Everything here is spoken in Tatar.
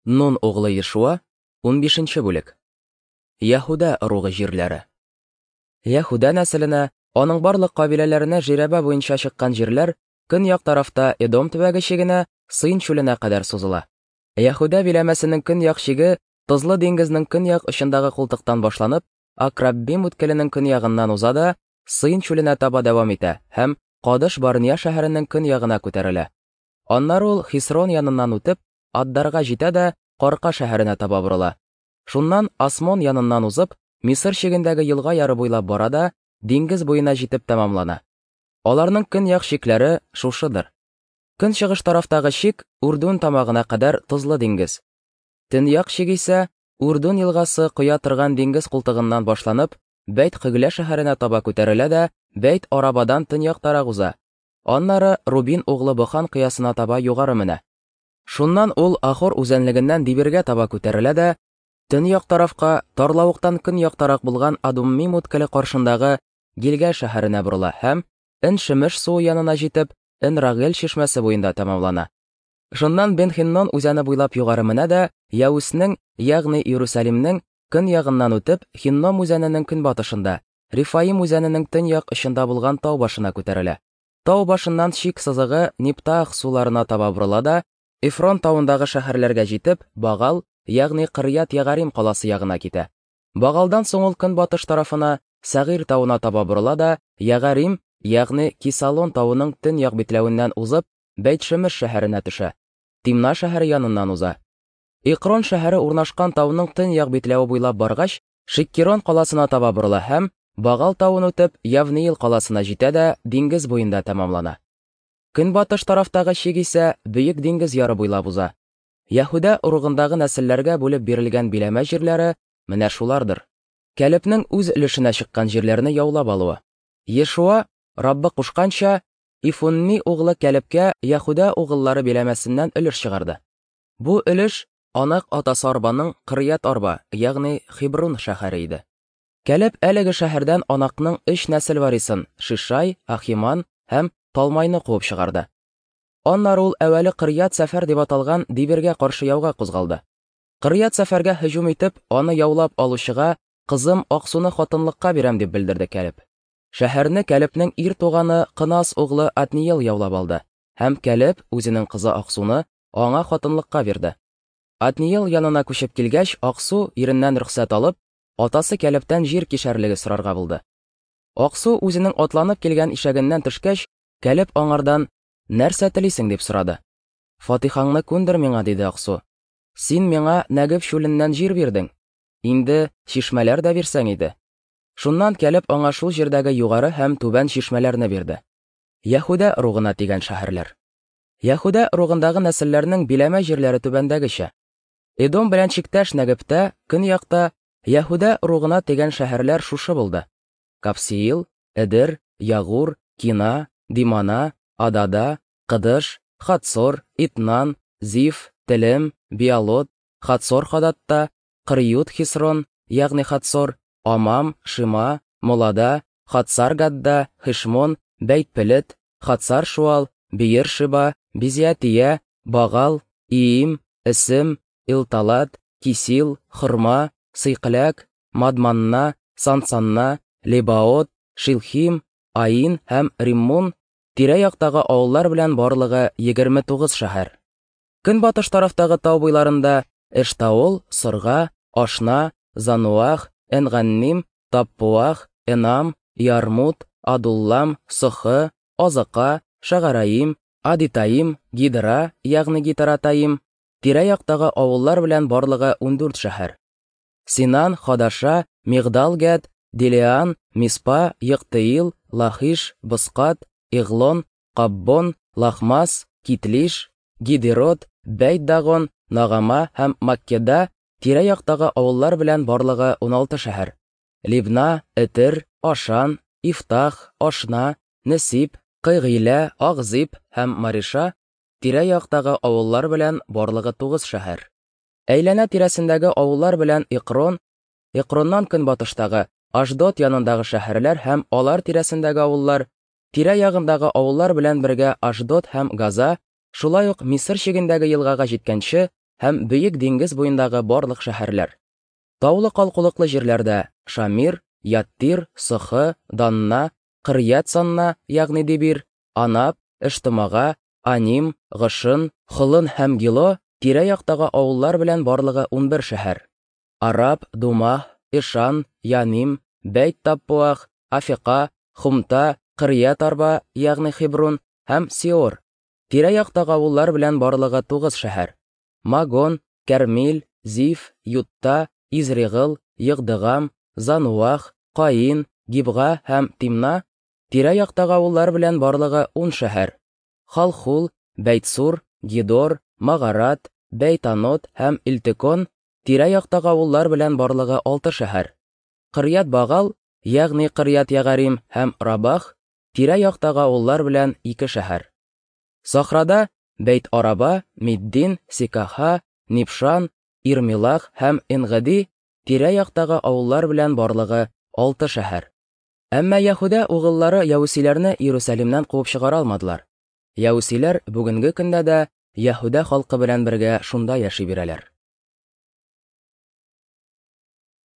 Нун углы Ешуа, 15 бүлек. Яһүдә ыругы җирләре. Яһүдә нәселенә, аның барлык кабиләләренә жирәбә буенча чыккан җирләр көньяк тарафта Эдом төбәге чигенә, Сыйн чүленә кадәр сузыла. Яһүдә биләмәсенең көньяк чиге Тозлы диңгезнең көньяк очындагы култыктан башланып, Акраббим үткеленең көньягыннан уза да, Сыйн чүленә таба дәвам итә һәм Кадыш Барния шәһәренең көньягына күтәрелә. Аннары ул Хисрон яныннан үтеп, Аддарга җитә дә Карка шәһәренә таба борыла. Шуннан Асмон яныннан узып, Мисыр чигендәге елга яры буйлап бара да диңгез буена җитеп тәмамлана. Аларның көньяк чикләре шушыдыр. Көнчыгыш тарафтагы чик Үрдүн тамагына кадәр тозлы диңгез. Төньяк чик исә Үрдүн елгасы коя торган диңгез култыгыннан башланып, Бәйт-Хөглә шәһәренә таба күтәрелә дә Бәйт-Арабадан төньяктарак уза. Аннары Рубин углы Бохан кыясына таба югары менә. Шуннан ул Ахор үзәнлегеннән Дибиргә таба күтәрелә дә, төньяк тарафка, тарлавыктан көньяктарак булган Адуммим үткеле каршындагы Гилгәл шәһәренә борыла һәм, Эн-Шемеш суы янына җитеп, Эн-Рагел чишмәсе буенда тәмамлана. Шуннан Бен-Хиннон үзәне буйлап югары менә дә, Яүснең, ягъни Иерусалимнең, көньягыннан үтеп, Хинном үзәненең көнбатышында, Рефаим үзәненең төньяк очында булган тау башына күтәрелә. Тау башыннан чик сызыгы Ниптаах суларына таба борыла да, Эфрон тавындагы шәһәрләргә җитеп, Багал, ягъни Кырьят-Ягарим каласы ягына китә. Багалдан соң ул көнбатыш тарафына, Сәгыйрь тавына таба борыла да, Ягарим, ягъни Кисалон тавының төньяк битләвеннән узып, Бәйт-Шемеш шәһәренә төшә. Тимна шәһәре яныннан уза. Экрон шәһәре урнашкан тауның төньяк битләве буйлап баргач, Шиккерон каласына таба борыла һәм, Багал тавын үтеп, Явниил каласына җитә дә диңгез буенда тәмамлана. Көнбатыш тарафтагы чик исә Бөек диңгез яры буйлап уза. Яһүдә ыругындагы нәселләргә бүлеп бирелгән биләмә җирләре менә шулардыр. Кәлебнең үз өлешенә чыккан җирләрне яулап алуы. Ешуа, Раббы кушканча, Ифунни углы Кәлебкә Яһүдә угыллары биләмәсеннән өлеш чыгарды. Бу өлеш Анак атасы Арбаның Кырьят-Арба, ягъни Хебрун шәһәре иде. Кәлеб әлеге шәһәрдән Анакның өч нәсел варисын, Шишай, Ахиман һәм Талмайны куып чыгарды. Аннары ул әүвәле Кырьят-Сәфәр дип аталган Дибиргә каршы яуга кузгалды. Кырьят-Сәфәргә һөҗүм итеп, аны яулап алучыга кызым Аксуны хатынлыкка бирәм дип белдерде Кәлеб. Шәһәрне Кәлебнең ир туганы Кынас углы Отниел яулап алды, һәм Кәлеб үзенең кызы Аксуны аңа хатынлыкка бирде. Отниел янына күчеп килгәч, Аксу, иреннән рөхсәт алып, атасы Кәлебтән җир кишәрлеге сорарга булды. Аксу үзенең атланып килгән ишәгеннән төшкәч, Кәлеб аңардан, Нәрсә телисең, дип сорады. Фатихаңны күндер миңа, диде Аксу. Син миңа Нәгеб чүленнән җир бирдең. Инде чишмәләр дә бирсәң иде. Шуннан Кәлеб аңа шул җирдәге югары һәм түбән чишмәләрне бирде. Яһүдә ыругына тигән шәһәрләр. Яһүдә ыругындагы нәселләрнең биләмә җирләре түбәндәгечә. Эдом белән чиктәш Нәгебтә, көньякта, Яһүдә ыругына тигән шәһәрләр шушы булды: Капсиил, Эдер, Ягур, Кина, Димана, Адада, Кыдыш, Хатсор, Итнан, Зиф, Телем, Биалот, Хатсор-Хадатта, Кырьют-Хисрон, ягъни Хатсор, Амам, Шима, Молада, Хатсар-Гадда, Хешмон, Бәйт-Пелет, Хатсар-Шуал, Биер-Шиба, Бизиатия, Багал, Иим, Эсем, Илталат, Кисил, Хормә, Сыйкләк, Мадманна, Сансанна, Лебаот, Шилхим, Аин һәм Риммун, тирә-яктагы авыллар белән барлыгы 29 шәһәр. Көнбатыш тарафтагы тау буйларында Эштаол, Сорга, Ашна, Зануах, Энганним, Таппуах, Энам, Ярмут, Адуллам, Сохы, Азака, Шагараим, Адитаим, Гидра, ягъни Гитаратаим, тирә-яктагы авыллар белән барлыгы 14 шәһәр. Синан, Хадаша, Мигдал-Гәд, Дилеан, Миспа, Йыктыил, Лахиш, Боскат, Иглон, Каббон, Лахмас, Китлиш, Гидерот, Бәйт-Дагон, Нагама һәм Маккеда тирә-яктагы авыллар белән барлыгы 16 шәһәр. Либна, Этер, Ашан, Ифтах, Ашна, Несип, Кыйгыйлә, Агзип һәм Мариша тирә-яктагы авыллар белән барлыгы 9 шәһәр. Әйләнә-тирәсендәге авыллар белән Экрон, Экроннан көнбатыштагы Ашдод янындагы шәһәрләр һәм алар тирәсендәге авыллар, тирә-ягындагы авыллар белән бергә Ашдод һәм Газа, шулай ук Мисыр чигендәге елгага җиткәнче, һәм Бөек диңгез буендагы барлык шәһәрләр. Таулы калкулыклы җирләрдә Шамир, Яттир, Сохы, Данна, Кырьят Санна, ягъни Дебир, Анап, Эштымага, Аним, Гошын, Холын һәм Гило тирә-яктагы авыллар белән барлыгы 11 шәһәр. Араб, Думаһ, Ишан, Яним, Бәйт Таппуах, Афика, Хумта, Кырьят Арба, ягъни Хебрун һәм Сиор. Тирә-яктагы авыллар белән барлыгы 9 шәһәр. Магон, Кәрмил, Зиф, Ютта, Изригыл, Йыгдыгам, Зануах, Каин, Гибга һәм Тимна, тирә-яктагы авыллар белән барлыгы 10 шәһәр. Халхул, Бәйтсур, Гидор, Магарат, Бәйтанот һәм Илтекон, тирә-яктагы авыллар белән барлыгы 6 шәһәр. Кырьят Багал, ягъни Кырьят Ягарим һәм Рабах, тирә-яктагы авыллар белән 2 шәһәр. Сахрада Бәйт Араба, Миддин, Сикаха, Нипшан, Ирмилах һәм Энгеди тирә-яктагы авыллар белән барлыгы 6 шәһәр. Әмма Яһүдә угыллары яүсиләрне Иерусалимнән куып чыгара алмадылар. Яүсиләр бүгенге көндә дә Яһүдә халкы белән бергә шунда яши бирәләр.